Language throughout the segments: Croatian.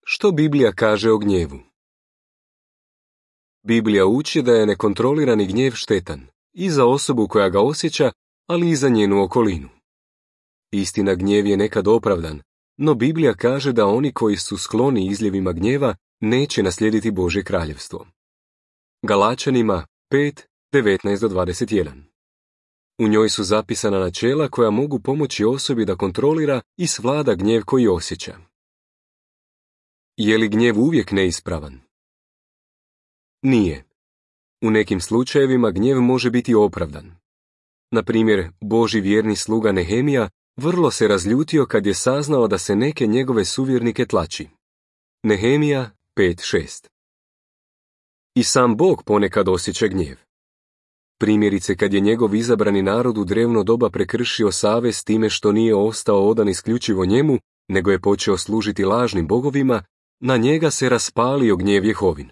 Što Biblija kaže o gnjevu? Biblija uči da je nekontrolirani gnjev štetan i za osobu koja ga osjeća, ali i za njenu okolinu. Istina, gnjev je nekad opravdan, no Biblija kaže da oni koji su skloni izljevima gnjeva neće naslijediti Božje kraljevstvo. Galačanima 5:19-21. U njoj su zapisana načela koja mogu pomoći osobi da kontrolira i svlada gnjev koji osjeća. Je li gnjev uvijek neispravan? Nije. U nekim slučajevima gnjev može biti opravdan. Na primjer, Božji vjerni sluga Nehemija vrlo se razljutio kad je saznao da se neke njegove suvjernike tlači. Nehemija 5:6. I sam Bog ponekad osjeća gnjev. Primjerice, kad je njegov izabrani narod u drevno doba prekršio savez time što nije ostao odan isključivo njemu, nego je počeo služiti lažnim bogovima, na njega se raspalio gnjev Jehovin.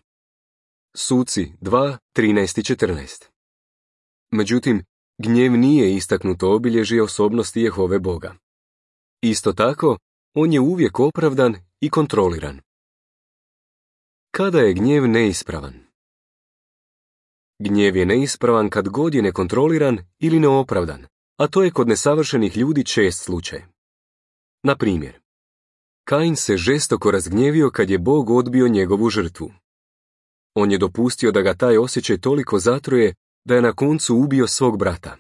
Suci 2:13-14. Međutim, gnjev nije istaknuto obilježje osobnosti Jehove Boga. Isto tako, on je uvijek opravdan i kontroliran. Kada je gnjev neispravan? Gnjev je neispravan kad god je nekontroliran ili neopravdan, a to je kod nesavršenih ljudi čest slučaj. Na primjer, Kain se žestoko razgnjevio kad je Bog odbio njegovu žrtvu. On je dopustio da ga taj osjećaj toliko zatruje da je na koncu ubio svog brata.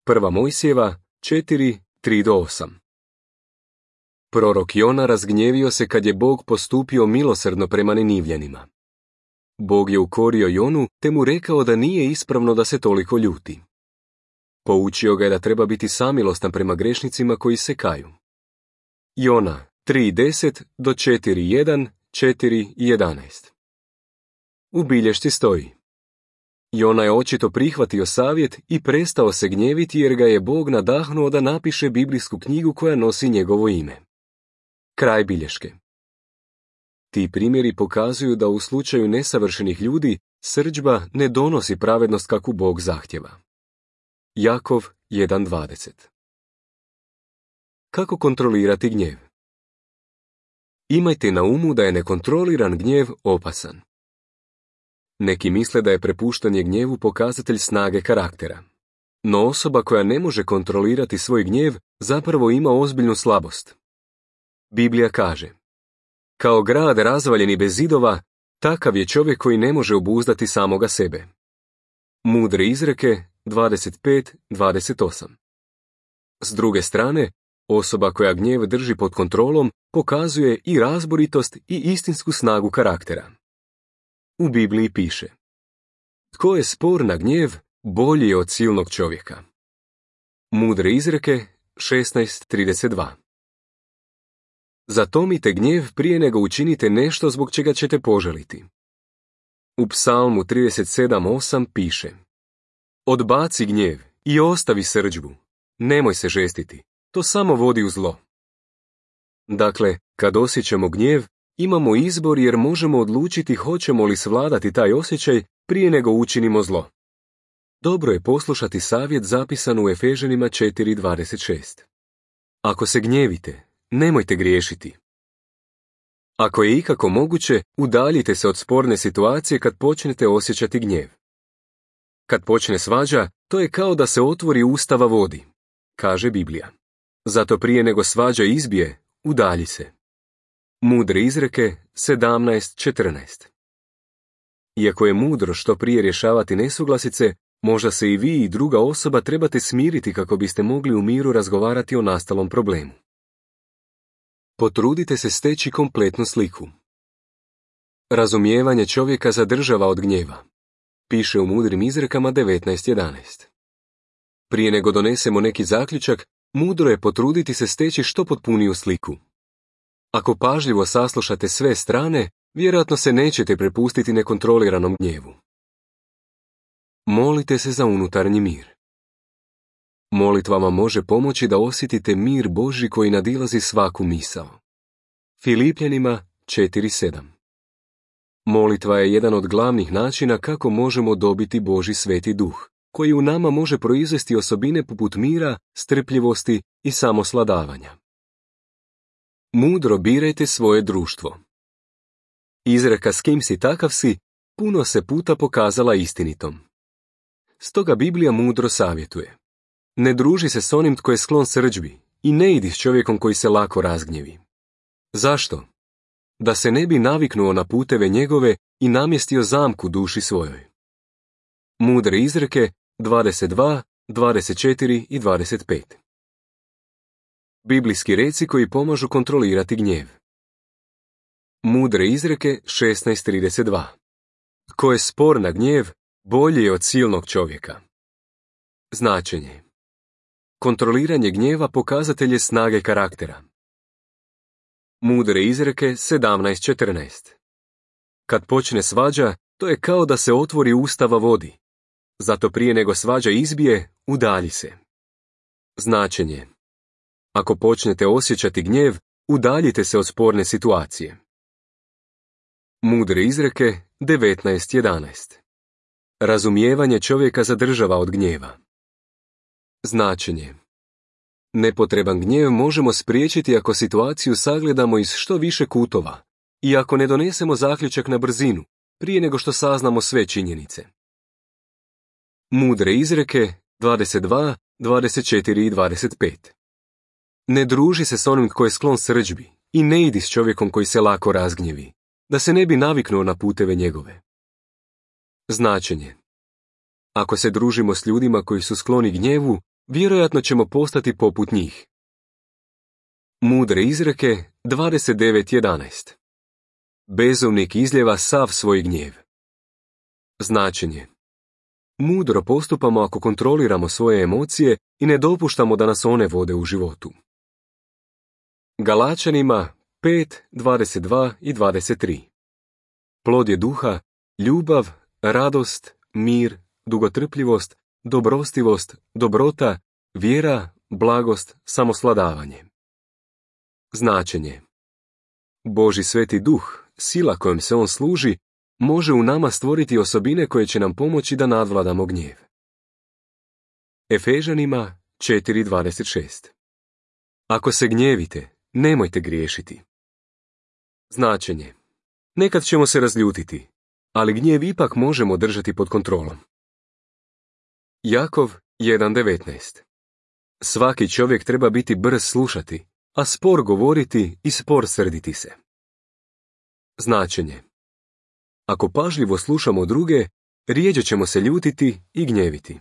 1. Mojsijeva 4:3-8. Prorok Jona razgnjevio se kad je Bog postupio milosrdno prema Ninivljanima. Bog je ukorio Jonu te mu rekao da nije ispravno da se toliko ljuti. Poučio ga je da treba biti samilostan prema grešnicima koji se kaju. Jona 3:10-4:1, 4:11. U bilješci stoji: Jona je očito prihvatio savjet i prestao se gnjeviti jer ga je Bog nadahnuo da napiše biblijsku knjigu koja nosi njegovo ime. Kraj bilješke. Ti primjeri pokazuju da u slučaju nesavršenih ljudi srdžba ne donosi pravednost kakvu Bog zahtjeva. Jakov 1:20. Kako kontrolirati gnjev? Imajte na umu da je nekontroliran gnjev opasan. Neki misle da je prepuštanje gnjevu pokazatelj snage karaktera. No osoba koja ne može kontrolirati svoj gnjev zapravo ima ozbiljnu slabost. Biblija kaže: kao grad razvaljen i bez zidova, takav je čovjek koji ne može obuzdati samoga sebe. Mudre izreke 25:28. S druge strane, osoba koja gnjev drži pod kontrolom pokazuje i razboritost i istinsku snagu karaktera. U Bibliji piše: tko je spor na gnjev, bolji je od silnog čovjeka. Mudre izreke 16:32. Zatomite gnjev prije nego učinite nešto zbog čega ćete požaliti. U Psalmu 37:8 piše: odbaci gnjev i ostavi srdžbu, nemoj se žestiti, to samo vodi u zlo. Dakle, kad osjećamo gnjev, imamo izbor jer možemo odlučiti hoćemo li svladati taj osjećaj prije nego učinimo zlo. Dobro je poslušati savjet zapisan u Efežanima 4:26. Ako se gnjevite, nemojte griješiti. Ako je ikako moguće, udaljite se od sporne situacije kad počnete osjećati gnjev. Kad počne svađa, to je kao da se otvori ustava vodi, kaže Biblija. Zato prije nego svađa izbije, udalji se. Mudre izreke 17:14. Iako je mudro što prije rješavati nesuglasice, možda se i vi i druga osoba trebate smiriti kako biste mogli u miru razgovarati o nastalom problemu. Potrudite se steći kompletnu sliku. Razumijevanje čovjeka zadržava od gnjeva, piše u Mudrim izrekama 19:11. Prije nego donesemo neki zaključak, mudro je potruditi se steći što potpuniju sliku. Ako pažljivo saslušate sve strane, vjerojatno se nećete prepustiti nekontroliranom gnjevu. Molite se za unutarnji mir. Molitva vam može pomoći da osjetite mir Božji koji nadilazi svaku misao. Filipljanima 4:7. Molitva je jedan od glavnih načina kako možemo dobiti Božji sveti duh, koji u nama može proizvesti osobine poput mira, strpljivosti i samosladavanja. Mudro birajte svoje društvo. Izreka s kim si takav si puno se puta pokazala istinitom. Stoga Biblija mudro savjetuje. Ne druži se s onim tko je sklon srdžbi i ne idi s čovjekom koji se lako razgnjevi. Zašto? Da se ne bi naviknuo na puteve njegove i namjestio zamku duši svojoj. Mudre izreke 22, 24 i 25. Biblijski reci koji pomažu kontrolirati gnjev. Mudre izreke 16:32. Ko je spor na gnjev, bolji je od silnog čovjeka. Značenje. Kontroliranje gnjeva pokazatelj je snage karaktera. Mudre izreke 17:14. Kad počne svađa, to je kao da se otvori ustava vodi. Zato prije nego svađa izbije, udalji se. Značenje. Ako počnete osjećati gnjev, udaljite se od sporne situacije. Mudre izreke 19:11. Razumijevanje čovjeka zadržava od gnjeva. Značenje. Nepotreban gnjev možemo spriječiti ako situaciju sagledamo iz što više kutova i ako ne donesemo zaključak na brzinu, prije nego što saznamo sve činjenice. Mudre izreke 22, 24 i 25. Ne druži se s onim tko je sklon srdžbi i ne idi s čovjekom koji se lako razgnjevi, da se ne bi naviknuo na puteve njegove. Značenje. Ako se družimo s ljudima koji su skloni gnjevu, vjerojatno ćemo postati poput njih. Mudre izreke 29:11. Bezumnik izljeva sav svoj gnjev. Značenje. Mudro postupamo ako kontroliramo svoje emocije i ne dopuštamo da nas one vode u životu. Galačanima 5:22 i 23. Plod je duha, ljubav, radost, mir, dugotrpljivost, dobrostivost, dobrota, vjera, blagost, samosvladavanje. Značenje. Božji sveti duh, sila kojom se on služi, može u nama stvoriti osobine koje će nam pomoći da nadvladamo gnjev. Efežanima 4:26. Ako se gnjevite, nemojte griješiti. Značenje. Nekad ćemo se razljutiti, ali gnjev ipak možemo držati pod kontrolom. Jakov 1:19. Svaki čovjek treba biti brz slušati, a spor govoriti i spor srditi se. Značenje. Ako pažljivo slušamo druge, rjeđe ćemo se ljutiti i gnjeviti.